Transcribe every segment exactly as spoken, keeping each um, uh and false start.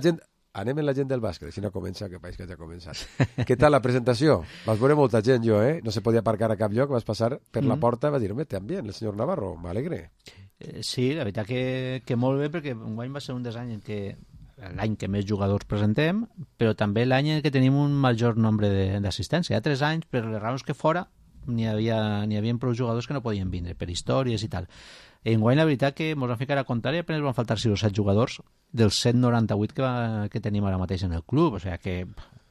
Gent, anem en la gent del bàsquet, així no comença, que país que ja ha començat. Què tal la presentació? Vas veure molta gent, jo, eh? No se podia aparcar a cap lloc, vas passar per la porta i vas dir, home, també, el senyor Navarro, m'alegre. Eh, sí, la veritat que, que molt bé, perquè enguany va ser un dels anys en què l'any que més jugadors presentem, però també l'any en què tenim un major nombre d'assistència. Hi ha tres anys, per les raons que fora, n'hi havia, n'hi havia prou jugadors que no podien vindre, per històries i tal. Enguany la veritat que ens van ficar a comptar i apenas van faltar sis o set jugadors dels cent noranta-vuit que, va, que tenim ara mateix en el club, o sigui que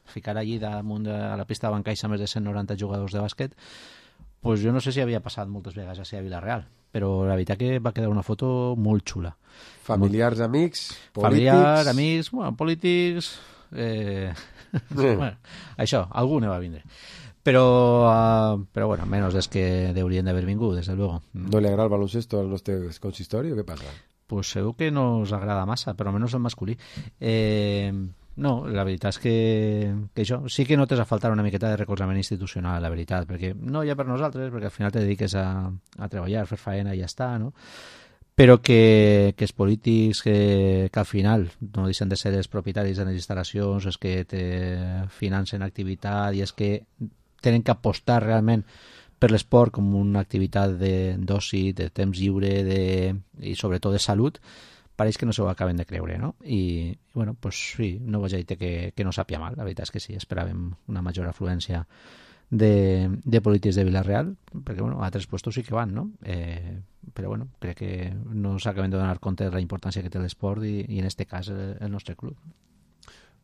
ficar allí damunt de, a la pista de bancaixa més de cent noranta jugadors de bàsquet, pues jo no sé si havia passat moltes vegades així a Vila-real, però la veritat que va quedar una foto molt xula. Familiars, amics, polítics... Familiars, amics, bueno, polítics... Eh... bueno, això, algú ne va vindre. Però, uh, però bueno, menos des que deurien d'haver vingut, desde luego. ¿No le agrada el baloncesto al nostre consistori o què passa? Pues segur que no us agrada massa, però almenys el masculí. Eh, no, la veritat és que, que això sí que notes a faltar una miqueta de recolzament institucional, la veritat, perquè no ja per nosaltres, perquè al final te dediques a, a treballar, fer faena i ja està, no? Però que, que els polítics que, que al final no deixen de ser els propietaris de les instal·lacions, és que te financen activitat i és que tenen que apostar realment per l'esport com una activitat d'oci, de, de temps lliure de, i sobretot de salut, pareix que no s'ho acaben de creure, no? I, i bueno, pues sí, no vaig a dir que, que no sàpia mal, la veritat és que sí, esperàvem una major afluència de, de polítics de Vila-real, perquè bueno, a altres puestos sí que van, no? Eh, però bueno, crec que no s'acaben de donar compte de la importància que té l'esport i, i en este cas el, el nostre club.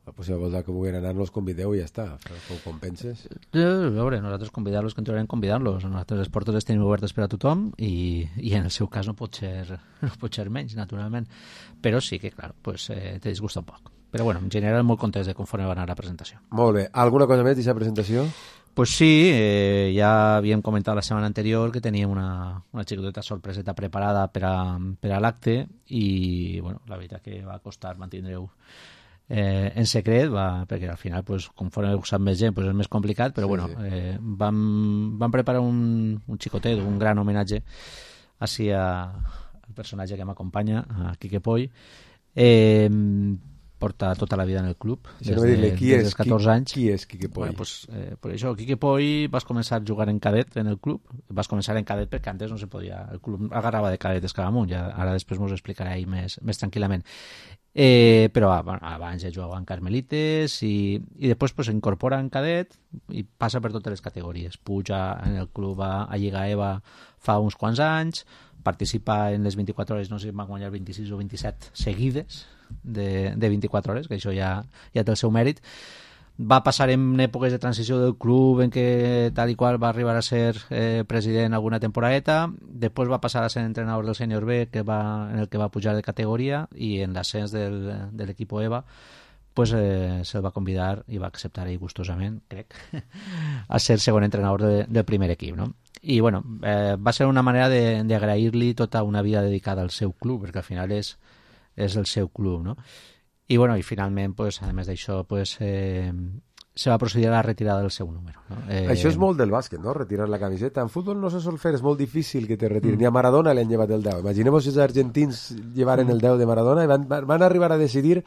Pues si vols que vulguin anar, los convideu i ja està. Com compenses? A veure, nosaltres convidar-los, que entrarem convidar-los. Nosaltres les portes les tenim obertes per a tothom i, i en el seu cas no pot ser, no pot ser menys, naturalment. Però sí que, clar, pues, eh, te disgusta un poc. Però bueno, en general molt contents de conforme va anar la presentació. Molt bé. Alguna cosa més d'aquesta presentació? Pues sí, eh, ja havíem comentat la setmana anterior que teníem una, una xicoteta sorpreseta preparada per a, per a l'acte i bueno, la veritat que va costar mantindre-ho Eh, en secret, va, perquè al final pues, conforme ho sap més gent pues, és més complicat, però sí, bueno, sí. Eh, vam, vam preparar un, un xicotet, un gran homenatge així a, al personatge que m'acompanya, a Quique Poy. Eh, porta tota la vida en el club des, no de, des dels catorze anys. Qui és Quique Poy? Bueno, pues, eh, per això, Quique Poy vas començar a jugar en cadet en el club, vas començar en cadet perquè antes no se podia, el club agarrava de cadetes cada amunt, ja, ara després m'ho explicaré ahí més, més tranquil·lament. Eh, però bueno, abans ja jugava en Carmelites i, i després pues, s'incorpora en cadet i passa per totes les categories, puja en el club a, a Lliga EVA fa uns quants anys, participa en les vint-i-quatre hores, no sé si va guanyar vint-i-sis o vint-i-set seguides de, de vint-i-quatre hores, que això ja, ja té el seu mèrit. Va passar en èpoques de transició del club en què tal i qual va arribar a ser eh, president alguna temporadeta, després va passar a ser entrenador del sènior B que va, en el que va pujar de categoria i en l'ascens del, de l'equip EVA pues, eh, se'l va convidar i va acceptar ell gustosament, crec, a ser segon entrenador de, del primer equip, no? I bueno, eh, va ser una manera d'agrair-li tota una vida dedicada al seu club, perquè al final és, és el seu club, no? I, bueno, i finalment, pues, a més d'això, pues, eh, se va procedir a la retirada del seu número. No? Eh... Això és molt del bàsquet, no? Retirar la camiseta. En futbol no se sol fer, és molt difícil que te retiren. Mm. Ni a Maradona li han llevat el deu. Imaginemos si els argentins llevaren mm. el deu de Maradona i van, van arribar a decidir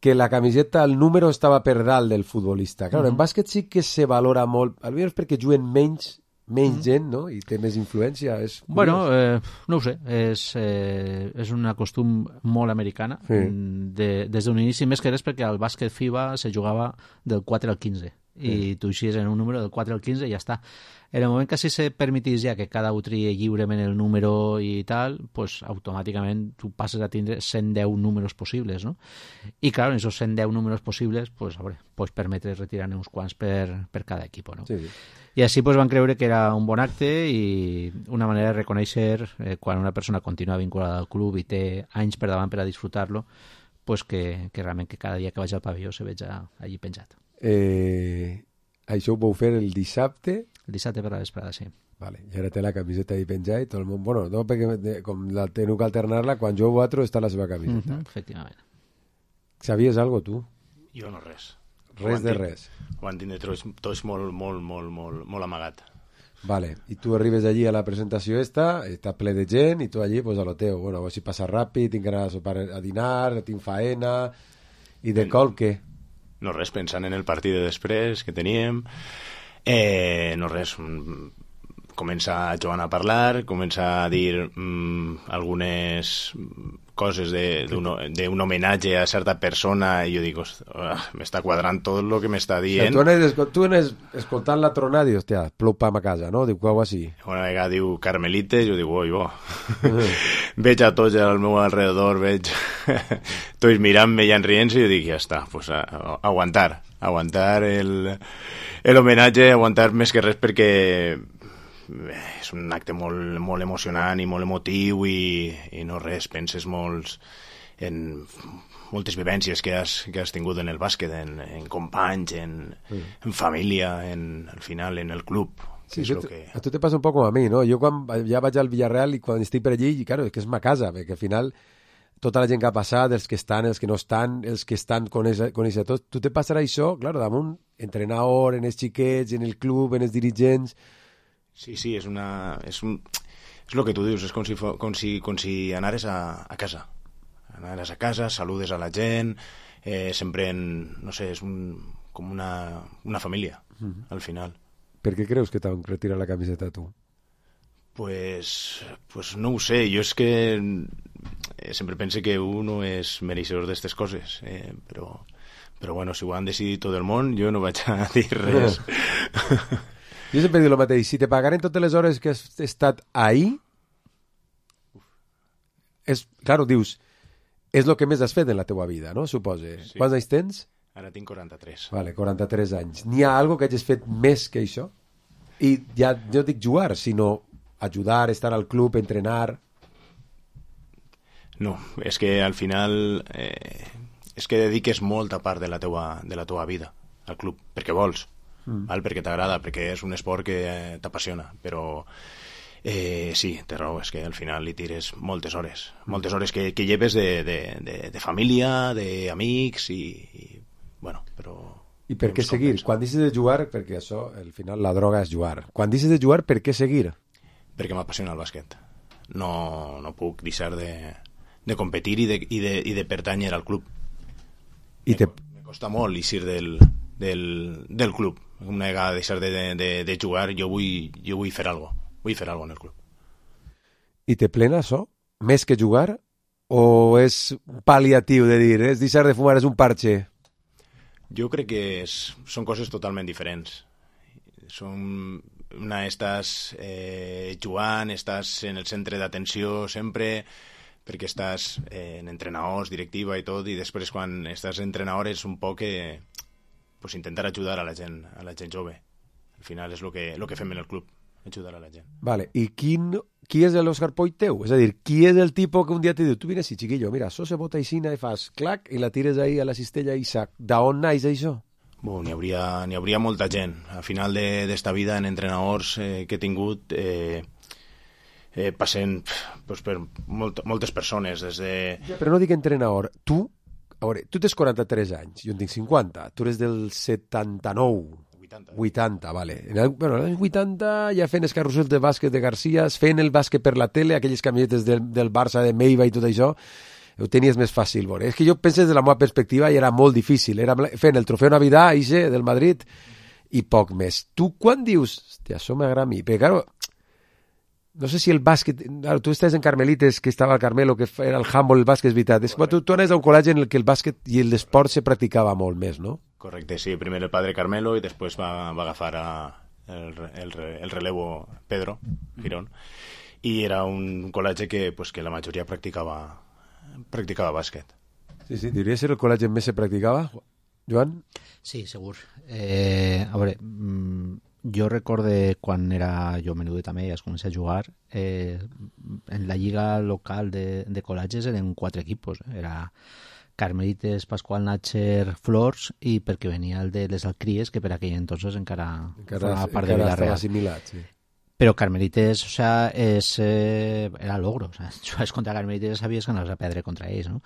que la camiseta, el número estava per dalt del futbolista. Clar, mm. en bàsquet sí que se valora molt, almenys perquè juguen menys menys mm. gent, no? I té més influència. És bueno, eh, no ho sé, és, eh, és una costum molt americana, sí. de, des d'un inici, més que res perquè al bàsquet FIBA se jugava del quatre al quinze, sí. I tu eixies en un número del quatre al quinze i ja està. En el moment que si se permetís ja que cada un trie lliurement el número i tal, pues automàticament tu passes a tindre cent deu números possibles, no? I clar, en aquests cent deu números possibles, pues, a veure, pots permetre retirar uns quants per, per cada equip, no? Sí. I així pues, van creure que era un bon acte i una manera de reconèixer eh, quan una persona continua vinculada al club i té anys per davant per a disfrutar-lo, pues que, que realment que cada dia que vaig al pavelló se veig allí penjat. Eh, això ho vau fer el dissabte? El dissabte per la vesprada, sí. Vale, i ara té la camiseta ahí penjada i tot el món... Bueno, no, perquè com la teniu que alternar-la, quan jo vosaltres està la seva camiseta. Mm-hmm, efectivament. Sabies algo, tu? Jo no res. Res de res. Ho van tindre tots, tots molt, molt, molt, molt, molt amagat. Vale, i tu arribes allí a la presentació esta, està ple de gent, i tu allí, pues, a lo teu. Bueno, a veure si passa ràpid, tinc que anar a sopar a dinar, tinc faena... I de col, què? No res, pensant en el partit de després que teníem, eh, no res, comença Joan a parlar, comença a dir mm, algunes coses d'un homenatge a certa persona i jo dic, oh, m'està quadrant tot el que m'està dient. O sigui, tu, tu anes escoltant la tronada i dius, hòstia, plou pam a casa, no? Diu, quau així. Una vegada diu Carmelites, jo dic, oi, bo. Veig a tots al meu alrededor, veig tots mirant-me i enrient-se i jo dic, ja està, pues a, a, aguantar, aguantar el, el homenatge, aguantar més que res perquè és un acte molt, molt emocionant i molt emotiu i, i no res, penses molts en moltes vivències que has, que has tingut en el bàsquet, en, en companys, en, mm. en família, en, al final en el club. Sí, és tu, que... a tu te passa un poc com a mi, no? Jo quan ja vaig al Villarreal i quan estic per allí, i claro, és que és ma casa, perquè al final tota la gent que ha passat, els que estan, els que no estan, els que estan coneixen a tots, tu te passarà això, claro, damunt, entrenador, en els xiquets, en el club, en els dirigents. Sí, sí, és una... És, un, és el que tu dius, és com si, com si, com si anares a, a casa. Anares a casa, saludes a la gent, eh, sempre en... No sé, és un, com una, una família, mm-hmm. al final. Per què creus que t'han retirat la camiseta, tu? Pues, pues no ho sé, jo és que eh, sempre pense que uno és mereixedor d'aquestes coses, eh, però, però bueno, si ho han decidit tot el món, jo no vaig a dir res. Jo sempre dic el mateix, si te pagaren totes les hores que has estat ahí, és, claro, dius, és el que més has fet en la teua vida, no? Supose. Sí. Quants anys tens? Ara tinc quaranta-tres. Vale, quaranta-tres anys. N'hi ha algo que hagis fet més que això? I ja no dic jugar, sinó ajudar, estar al club, entrenar... No, és que al final eh, és que dediques molta part de la teua, de la teua vida al club, perquè vols. Mm. Val? Perquè t'agrada, perquè és un esport que eh, t'apassiona, però eh, sí, té raó, és que al final li tires moltes hores, moltes hores que, que lleves de, de, de, de família, d'amics i, i bueno, però... I per què seguir? Quan deixes de jugar, perquè això, al final la droga és jugar, quan deixes de jugar, per què seguir? Perquè m'apassiona el bàsquet, no, no puc deixar de, de competir i de, i, de, i de pertànyer al club. I me, te... me costa molt eixir del, del, del club. Una vegada deixar de, de, de jugar, jo vull, jo vull fer alguna cosa. Vull fer alguna cosa en el club. I te plena això? Més que jugar? O és pal·liatiu de dir, és deixar de fumar, és un parche? Jo crec que és, són coses totalment diferents. Són, una, estàs eh, jugant, estàs en el centre d'atenció sempre, perquè estàs eh, en entrenadors, directiva i tot, i després quan estàs entrenador és un poc que... pues intentar ajudar a la gent, a la gent jove. Al final és el que, lo que fem en el club, ajudar a la gent. Vale, i quin, qui és l'Òscar Poy teu? És a dir, qui és el tipus que un dia te diu, tu vine així, chiquillo, mira, això se bota aixina i fas clac i la tires ahí a la cistella i sac. D'on naix això? Bon, n'hi hauria, n'hi hauria molta gent. Al final d'esta de, vida en entrenadors eh, que he tingut eh, eh, passen pues, per molt, moltes persones. Des de... Ja, però no dic entrenador. Tu, a veure, tu tens quaranta-tres anys, jo en tinc cinquanta, tu eres del setanta-nou, vuitanta, vuitanta, vale. En el, bueno, als vuitanta ja fent els carrusels de bàsquet de García, fent el bàsquet per la tele, aquelles camisetes del, del Barça, de Meiva i tot això, ho tenies més fàcil, veure. És que jo penso des de la meva perspectiva i era molt difícil, era fent el trofeu Navidad, ixe, del Madrid, i poc més. Tu quan dius, hòstia, això m'agrada a mi, perquè, claro, no sé si el bàsquet... Claro, tu estàs en Carmelites, que estava al Carmelo, que era el handball, el bàsquet, és veritat. És que tu, tu anaves a un col·legi en el que el bàsquet i l'esport se practicava molt més, no? Correcte, sí. Primer el padre Carmelo i després va, va agafar a el, el, el relevo Pedro Girón. I era un col·legi que, pues, que la majoria practicava, practicava bàsquet. Sí, sí. Diria ser el col·legi on més se practicava, Joan? Sí, segur. Eh, a veure... Mmm... Jo recorde quan era jo menudet també i es comença a jugar, eh, en la lliga local de, de col·legis eren quatre equipos. Era Carmelites, Pasqual Natcher, Flors, i perquè venia el de les Alcries, que per aquell entonces encara, encara formava part encara de Villarreal. Assimilat, sí. Però Carmelites, o sea, és, eh, era logro. O sea, jugaves contra Carmelites sabies que anaves a perdre contra ells, no?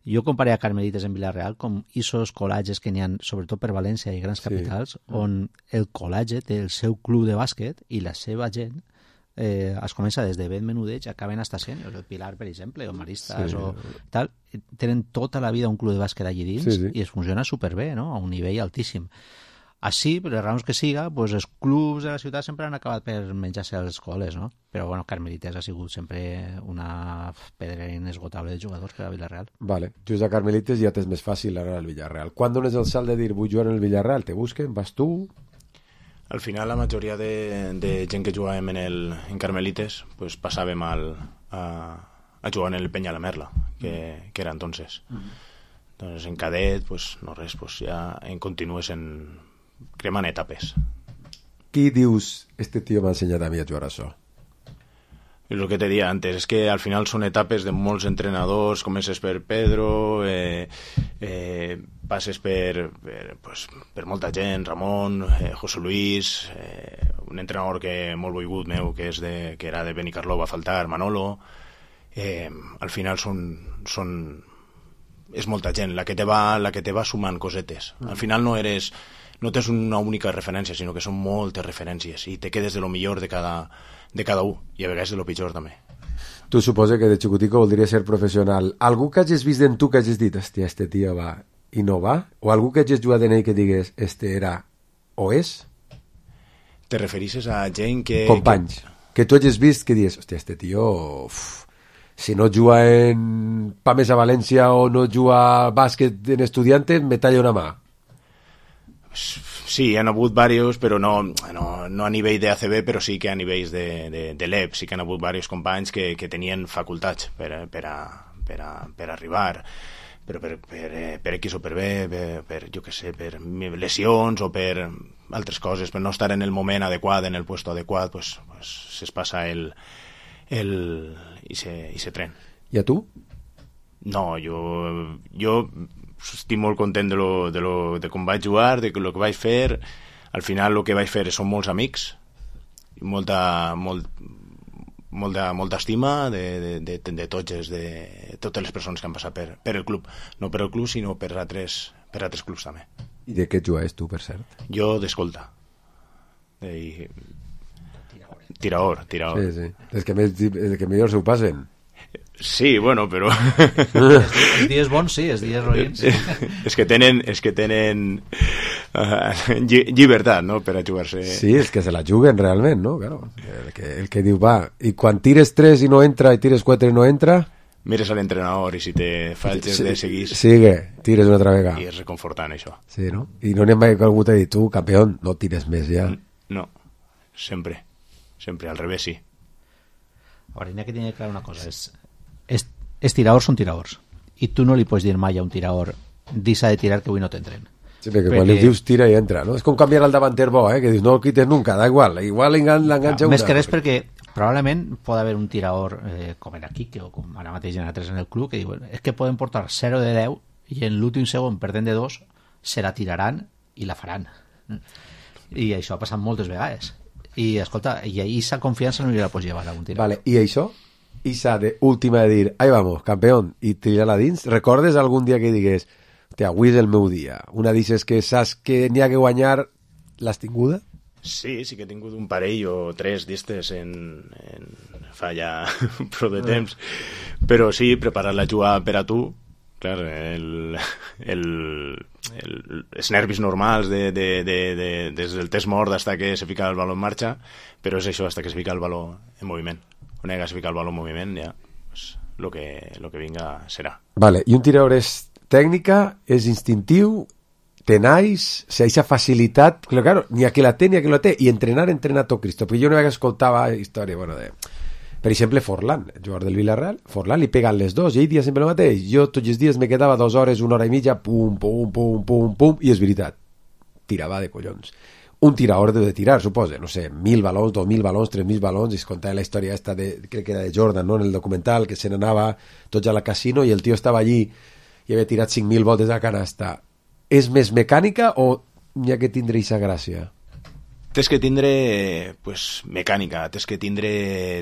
Jo comparé a Carmelites en Villarreal com isos col·lages que n'hi ha, sobretot per València i grans capitals, sí. On el col·legi té el seu club de bàsquet i la seva gent eh, es comença des de ben menudeig, acaben hasta sèniors, el Pilar, per exemple, o Maristas, Sí. o tal, tenen tota la vida un club de bàsquet allí dins, Sí, sí. i es funciona superbé, no? A un nivell altíssim. Així, per les raons que siga, pues, els clubs de la ciutat sempre han acabat per menjar-se a les escoles, no? Però, bueno, Carmelites ha sigut sempre una pedra inesgotable de jugadors per a Villarreal. Vale, just a Carmelites ja t'és més fàcil ara al Villarreal. Quan dones el salt de dir vull jugar en el Villarreal? Te busquen? Vas tu? Al final la majoria de, de gent que jugàvem en, el, en Carmelites pues, passàvem al, a, a jugar en el Peña la Merla, que, que era entonces. Mm-hmm. Doncs en cadet, pues, no res, pues, ja en continues en cremant etapes. Qui dius, este tío m'ha ensenyat a mi a jugar a això? És el que te deia antes, és que al final són etapes de molts entrenadors, comences per Pedro, eh, eh, passes per, per, pues, per molta gent, Ramon, eh, José Luis, eh, un entrenador que molt volgut meu, que, és de, que era de Benicarló, va faltar, Manolo. Eh, al final són, són, és molta gent la que te va, la que te va sumant cosetes. Al final no eres... no tens una única referència, sinó que són moltes referències i te quedes de lo millor de cada, de cada un, i a vegades de lo pitjor també. Tu suposa que de xicutico voldria ser professional. Algú que hagis vist en tu que hagis dit, hòstia, este tio va i no va? O algú que hagis jugat en ell que digués, este era o és? Te referisses a gent que... Companys. Que, que tu hagis vist que digués, hòstia, este tio... Uf, si no juga en Pames a València o no juga bàsquet en Estudiantes, me talla una mà. Sí, han hagut diversos, però no, no, no a nivell de A C B, però sí que a nivells de, de, de l'E P, sí que han hagut diversos companys que, que tenien facultats per, per, a, per, a, per arribar, però per, per, per X o per B, per, per, jo què sé, per lesions o per altres coses, per no estar en el moment adequat, en el puesto adequat, pues, pues se's passa el, el, i, se, i se tren. I a tu? No, jo, jo estic molt content de, lo, de, lo, de com vaig jugar, de lo que vaig fer. Al final el que vaig fer són molts amics, molta, molt, molta, molta estima de, de, de, de, tots, de totes les persones que han passat per, per el club. No per el club, sinó per altres, per altres clubs també. I de què jugaves tu, per cert? Jo d'escolta. De... Tiraor, tiraor. Sí, sí. Els que, més, els que millor s'ho passen. Sí, bueno, però... Els dies bons sí, els dies roïns. És que tenen, és que tenen uh, lli llibertat, no?, per a jugar-se. Sí, és que se la juguen realment, no? Claro. El que, el que diu, va, i quan tires tres i no entra, i tires quatre i no entra... Mires a l'entrenador i si te falles sí, de seguir... Sigue, tires una altra vegada. I és reconfortant, això. Sí, no? I no n'hi ha mai que algú t'ha dit, tu, campió, no tires més ja. No, sempre. Sempre, al revés, sí. Ahora, n'hi ha que tenir clar una cosa, és... És, és tiraors són tiraors i tu no li pots dir mai a un tiraor deixa de tirar que avui no t'entren. Sí, perquè, perquè quan li dius tira i entra, no? És com canviar el davanter bo, eh? Que dius no el quites nunca, da igual, igual l'enganxa una. Més que res perquè probablement pot haver un tiraor eh, com era Quique o com ara mateix en altres en el club que diuen, és que poden portar zero de deu i en l'últim segon perdent de dos se la tiraran i la faran. I això ha passat moltes vegades. I escolta, i ahí esa confiança no li la pots llevar a un tiraor. Vale, i això? Esa de última de dir, ahí vamos, campeón, i tirar-la dins, recordes algun dia que digués, hòstia, avui és el meu dia, una dices que saps que n'hi ha que guanyar, l'has tinguda? Sí, sí que he tingut un parell o tres d'estes en, en fa ja prou de temps, però sí, preparar la jugada per a tu, clar, el, el, el, els nervis normals de, de, de, de, des del test mort hasta que se fica el baló en marxa, però és això, hasta que se fica el baló en moviment. Quan hagués ficat el baló en moviment, ja, pues, lo que, lo que vinga serà. Vale, i un tirador és tècnica, és instintiu, tenais, o sigui, aquesta facilitat, però claro, ni a qui la té ni a qui la té, i entrenar, entrenar tot Cristo, perquè jo una vegada escoltava història, bueno, de... Per exemple, Forlán, el jugador del Villarreal, Forlán li peguen les dos, i ell dia sempre el mateix, jo tots els dies me quedava dues hores, una hora i mitja, pum, pum, pum, pum, pum, i és veritat, tirava de collons. Un tirador deu de tirar, suposa, no sé, mil balons, dos mil balons, tres mil balons, i es contava la història esta de, crec que era de Jordan, no?, en el documental, que se n'anava tots a la casino i el tio estava allí i havia tirat cinc mil voltes a canasta. És més mecànica o n'hi ha que tindre aquesta gràcia? Tens que tindre, pues, mecànica, tens que tindre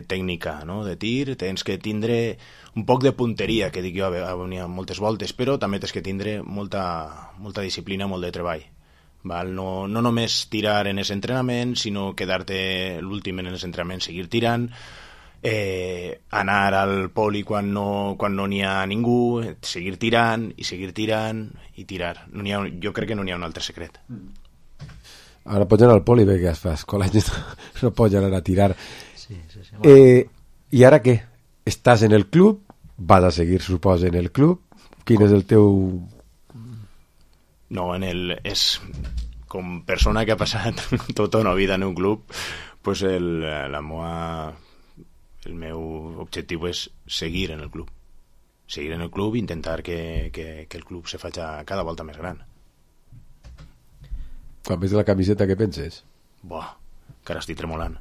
tècnica, no?, de tir, tens que tindre un poc de punteria, que dic jo, n'hi ha moltes voltes, però també tens que tindre molta, molta disciplina, molt de treball. val? No, no només tirar en els entrenaments, sinó quedar-te l'últim en els entrenaments, seguir tirant, eh, anar al poli quan no quan no n'hi ha ningú, seguir tirant i seguir tirant i tirar. No n'hi ha, jo crec que no n'hi ha un altre secret. Ara pots anar al poli perquè es fa escola, no pots anar a tirar. Sí, sí, sí. Eh, I ara què? Estàs en el club, vas a seguir, suposa, en el club. Quin és el teu... No, en el, és com persona que ha passat tota una vida en un club, pues el, la moa, el meu objectiu és seguir en el club. Seguir en el club i intentar que, que, que el club se faci cada volta més gran. Quan ves la camiseta, què penses? Buah, que ara estic tremolant.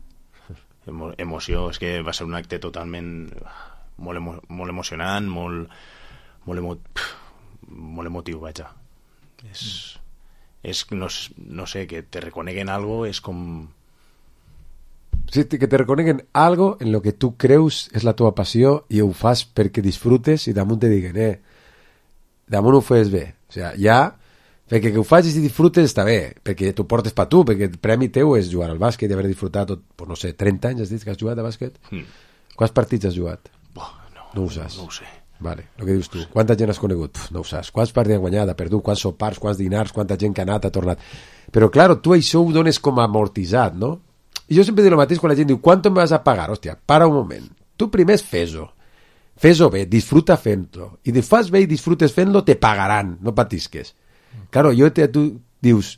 Emo, emoció, és que va ser un acte totalment molt, emo, molt emocionant, molt, molt, emo, molt emotiu, vaja. És, és no, no sé, que te reconeguen algo és com... Sí, que te reconeguen algo en lo que tu creus és la teva passió i ho fas perquè disfrutes i damunt te diguen, eh, damunt ho fes bé. O sigui, ja, perquè que ho facis i disfrutes està bé, perquè t'ho portes per tu, perquè el premi teu és jugar al bàsquet i haver disfrutat tot, pues no sé, trenta anys has dit que has jugat a bàsquet? Mm. Quants partits has jugat? Oh, no, no ho saps. No ho sé. Vale, el que dius tu. Quanta gent has conegut? Pff, no ho saps. Quants partits has guanyat, ha perdut, quants sopars, quants dinars, quanta gent que ha anat, ha tornat. Però, claro, tu això ho dones com amortitzat, no? I jo sempre dic el mateix quan la gent diu ¿cuánto me vas a pagar? Hòstia, para un moment. Tu primer fes-ho. Fes-ho bé, disfruta fent-lo. I de fas bé i disfrutes fent-lo, te pagaran, no patisques. Claro, jo te, tu dius,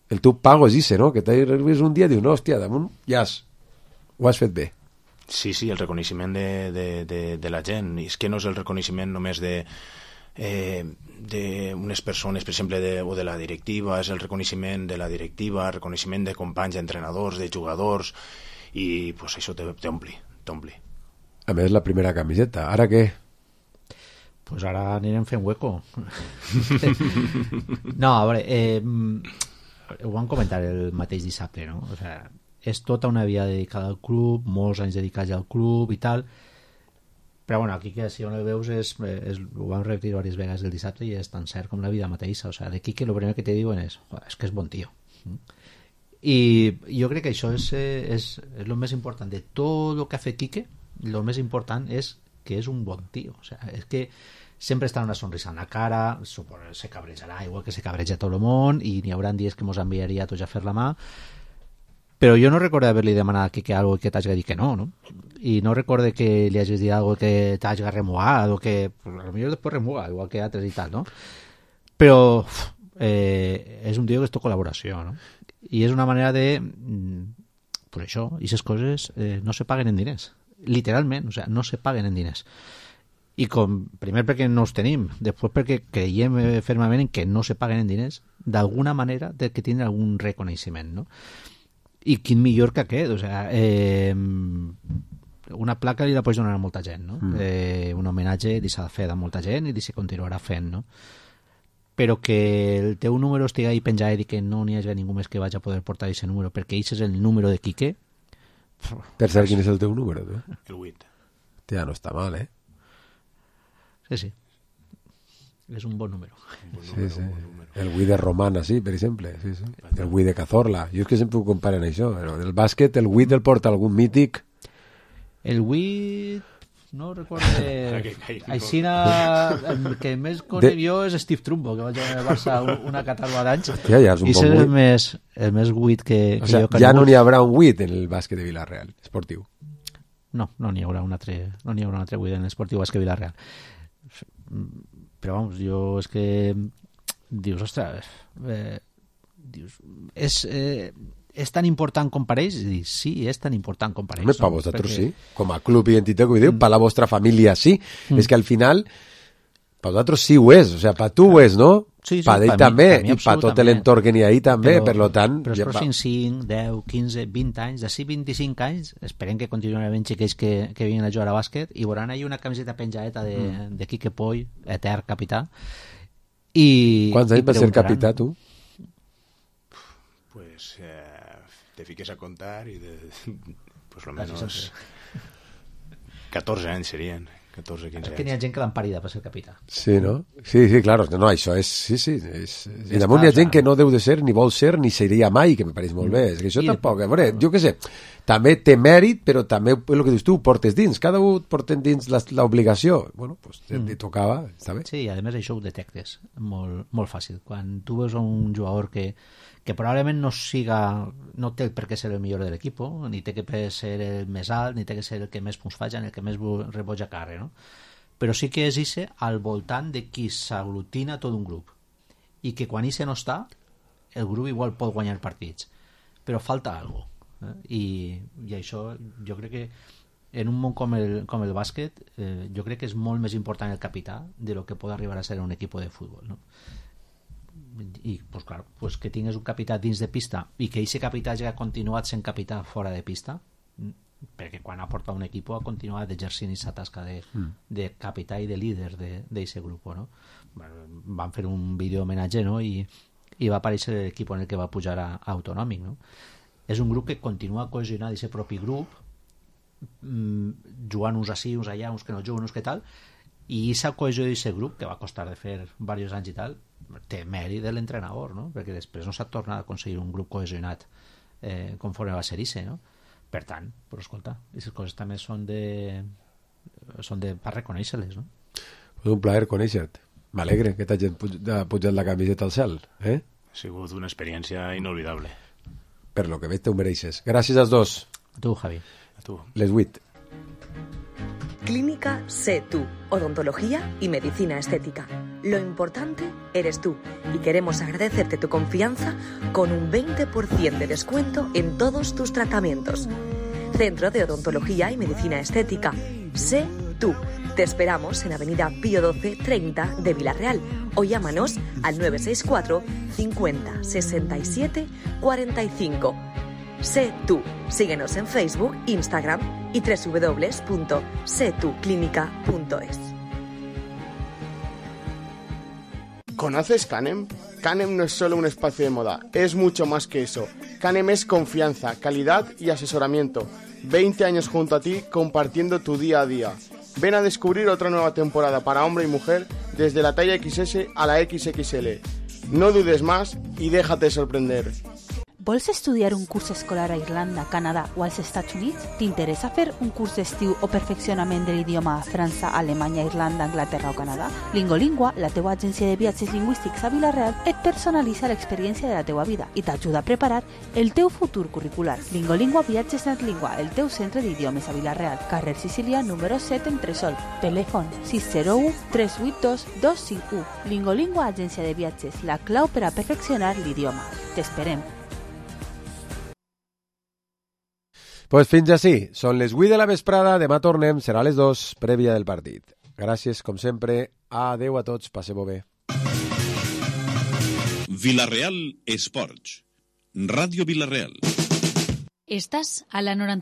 el teu pago és ese, no? Que t'arribes un dia i dius, no, hòstia, damunt ja has, ho has fet bé. Sí, sí, el reconeixement de, de, de, de la gent. I és que no és el reconeixement només de eh, d'unes persones, per exemple, de, o de la directiva, és el reconeixement de la directiva, el reconeixement de companys, d'entrenadors, de jugadors, i pues, això t'ompli, t'ompli. A més, la primera camiseta. Ara què? Pues ara anirem fent hueco. No, a veure, eh, ho vam comentar el mateix dissabte, no? O sea, és tota una vida dedicada al club, molts anys dedicats al club i tal, però bueno, aquí que si on el veus és, és, ho vam repetir diverses vegades el dissabte i és tan cert com la vida mateixa. O sea, de Quique el primer que te diuen és és que és bon tio. I jo crec que això és, és, és el més important de tot el que ha fet Quique. El més important és que és un bon tio. O sea, és que sempre està una sonrisa en la cara, se cabrejarà igual que se cabreja tot el món i n'hi haurà dies que mos enviaria a tots a fer la mà, però jo no recordo haver-li demanat a Quique algo que t'hagi dit que no, no? I no recordo que li hagis dit algo que t'hagi remuat o que, pues, a lo millor després remua, igual que altres i tal, no? Però eh, és un tio que és tot col·laboració, no? I és una manera de, pues això, i aquestes coses eh, no se paguen en diners, literalment, o sea, no se paguen en diners. I com, primer perquè no els tenim, després perquè creiem fermament en que no se paguen en diners, d'alguna manera de que tindre algun reconeixement, no? I quin millor que aquest, o sea, eh, una placa li la pots donar a molta gent, no? Mm. Eh, un homenatge li s'ha de fer a molta gent i li se continuarà fent, no? Però que el teu número estigui ahí penjat i que no n'hi hagi ningú més que vagi a poder portar aquest número, perquè aquest és el número de Quique. Per saber quin és el teu número, tu? El vuit. Ja no està mal, eh? Sí, sí. És un bon número. Un bon Sí, número, sí. un bon número. El Wii de Romana, sí, per exemple. Sí, sí. El Wii de Cazorla. Jo és que sempre ho comparen això. Però del bàsquet, el Wii del porta algun mític. El Wii... No recordo... Aixina, el que més conec jo és Steve Trumbo, que va jugar al Barça una catarba d'anys. Hòstia, ja és un I bon és el Wii. més, el més Wii que, O que sea, jo he ja no conegut. n'hi haurà un Wii en el bàsquet de Villarreal, esportiu. No, no n'hi haurà un altre, no n'hi haurà un altre Wii en l'esportiu bàsquet Villarreal. Però vamos, jo és que dius, ostres, eh, dius, és, eh, és tan important com pareix? I dic, sí, és tan important com pareix. Home, per no? vosaltres Perquè... sí, com a club identitat que ho diu, mm. per la vostra família sí. Mm. És que al final, per vosaltres sí ho és, o sigui, per tu ho és, no? Sí, sí, per ell per també, mi, per mi i per tot l'entorn que n'hi ha ahí també, però, per lo tant... Però els ja, pròxims cinc, deu, quinze, vint anys, d'ací vint-i-cinc anys, esperem que continuïn havent xiquets que, que vinguin a jugar a bàsquet i veuran ahí una camiseta penjadeta de, mm. de Quique Poy, etern capità. I, Quants anys va ser capità, tu? Pues eh, te fiques a contar y de, pues lo menos catorze anys serien. catorze quinze anys. Que n'hi ha gent que l'han parida per ser capità. Sí, no? Sí, sí, claro. No, això és... Sí, sí. És, I damunt hi ha gent que no deu de ser, ni vol ser, ni seria mai, que me pareix molt bé. És que això I tampoc... A veure, jo què sé, també té mèrit, però també, el que dius tu, portes dins. Cada un porten dins l'obligació. Bueno, doncs pues, mm. tocava, està bé. Sí, i a més això ho detectes molt, molt fàcil. Quan tu veus un jugador que que probablement no siga, no té per què ser el millor de l'equip, ni té que ser el més alt, ni té que ser el que més punts faci, el que més reboja carre, no? Però sí que és ese al voltant de qui s'aglutina tot un grup. I que quan ese no està, el grup igual pot guanyar partits. Però falta alguna cosa. Eh? I, I això jo crec que en un món com el, com el bàsquet, eh, jo crec que és molt més important el capità de lo que pot arribar a ser un equip de futbol, no? I pues, clar, pues que tingues un capità dins de pista i que aquest capità ja ha continuat sent capità fora de pista, perquè quan ha portat un equip ha continuat exercint aquesta tasca de, mm. de capità i de líder d'aquest grup, no? Van fer un vídeo homenatge, no? I, i va aparèixer l'equip en el que va pujar a, a Autonòmic, no? És un grup que continua cohesionat d'aquest propi grup, mmm, jugant uns així, uns allà, uns que no juguen, uns que tal, i aquesta cohesió d'aquest grup, que va costar de fer diversos anys i tal, té mèrit de l'entrenador, no? Perquè després no s'ha tornat a aconseguir un grup cohesionat eh, conforme va ser ese, no? Per tant, però escolta, aquestes coses també són de, són de per reconèixer-les, no? És un plaer conèixer-te. M'alegre que t'hagin pujat la camiseta al cel, eh? Ha sigut una experiència inolvidable. Per lo que veig, te ho mereixes. Gràcies als dos. A tu, Javi. A tu. Les vuit. Clínica Sé Tú, odontología y medicina estética. Lo importante eres tú y queremos agradecerte tu confianza con un veinte por ciento de descuento en todos tus tratamientos. Centro de Odontología y Medicina Estética. Sé Tú. Te esperamos en Avenida Pío doce treinta de Villarreal o llámanos al nueve seis cuatro cincuenta sesenta y siete cuarenta y cinco. Sé Tú. Síguenos en Facebook, Instagram y doble u doble u doble u punto sé tú clínica punto es. ¿Conoces Canem? Canem no es solo un espacio de moda, es mucho más que eso. Canem es confianza, calidad y asesoramiento. veinte años junto a ti compartiendo tu día a día. Ven a descubrir otra nueva temporada para hombre y mujer desde la talla equis ese a la equis equis ele. No dudes más y déjate sorprender. Vols estudiar un curs escolar a Irlanda, Canadà o als Estats Units? T'interessa fer un curs d'estiu o perfeccionament de l'idioma a França, Alemanya, Irlanda, Anglaterra o Canadà? Lingolingua, la teua agència de viatges lingüístics a Vila-real, et personalitza l'experiència de la teua vida i t'ajuda a preparar el teu futur curricular. Lingolingua Viatges Natlingua, el teu centre d'idiomes a Vila-real, carrer Sicília, número set en Tresol. Telèfon sis zero u tres vuit dos dos cinc u. Lingolingua Agència de Viatges, la clau per a perfeccionar l'idioma. T'esperem. Pues fins així, són les vuit de la vesprada, demà tornem, serà a les dos, prèvia del partit. Gràcies, com sempre, adeu a tots, passeu-ho bé. Vila-real Esports, Ràdio Vila-real. Estàs a la noranta